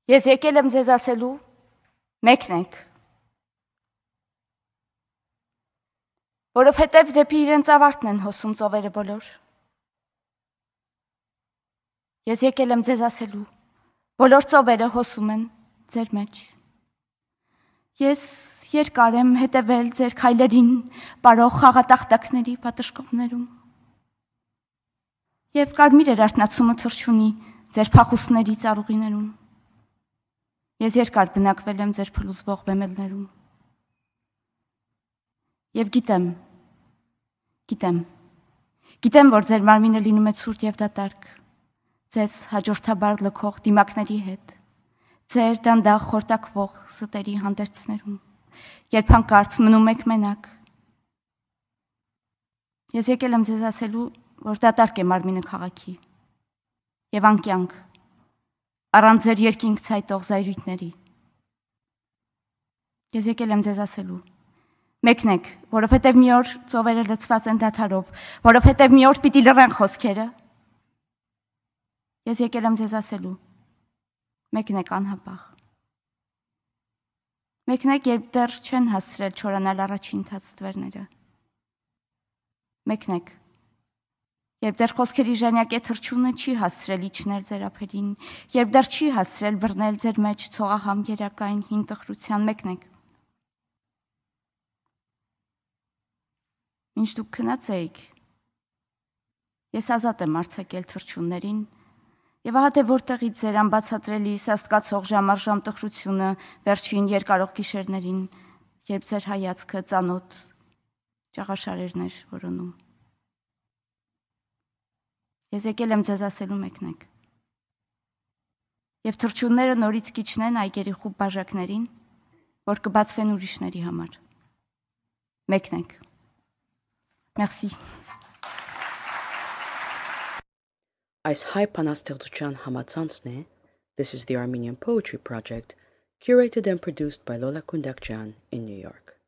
Ես եկել եմ ձեզ ասելու, մեկնեք, որովհետև դեպի իրենց ավարտն են հոսում ծովերը բոլոր։ Ես եկել եմ ձեզ ասելու, բոլոր ծովերը հոսում են ձեր մեջ։ Ես երկար եմ հետևել ձեր քայլերին, պարող խաղատախտակների պատշգոմներում։ Եվ կարմիր էր արթնացումը թռչունի ձեր փախուստների ծառուղիներում։ Ես երկար բնակվել եմ ձեր փլուզվող բեմելներում։ Եվ գիտեմ, որ ձեր մարմինը լինում է ցուրտ եւ դատարկ, ձեզ հաջորդաբար լքող դիմակների հետ, ձեր դանդաղ խորտակվող ստերի հանդերձներում, երբ հանկարծ մնում եք մենակ։ Ես եկել եմ ձեզ ասելու, որ դատարկ է մարմինը քաղաքի եւ անկյանք, առանց ձեր երկինք ցայտող զայրույթների։ Ես եկել եմ ձեզ ասելու, մեկնեք, որովհետև մի օր ծովերը լցված են դադարով, որովհետև մի օր պիտի լռեն խոսքերը։ Ես եկել եմ ձեզ ասելու, մեկնեք անհապաղ։ Մեկնեք, երբ դեռ չեն հասցրել չորանալ առաջին թացտվերները։ Մեկնեք, երբ դեռ խոսքերի ժանյակե թռչունը չի հասցրել իջնել ձեր ափերին, երբ դեռ չի հասցրել բռնել ձեր մեջ ցողահամ երակային հին տխրության, մեկնեք։ Մինչ դուք քնած էիք, ես ազատ եմ արձակել թռչուններին, եւ ահա թե որտեղից ձեր անբացատրելի սաստկացող ժամարժամ տխրությունը վերջին երկարող գիշերներին, երբ ձեր հայացքը ծանոթ ճաղաշարերն էր որոնում։ Ես եկել եմ ձեզ ասելու մեկնեք։ Եվ թռչունները նորից կիջնեն այգերի խուբ բաժակներին, որ կբացվեն ուրիշների համար։ Մեկնեք։ Merci. Այս հայ բանաստեղծության համացանցն է This is the Armenian Poetry Project, curated and produced by Lola Kundakjan in New York.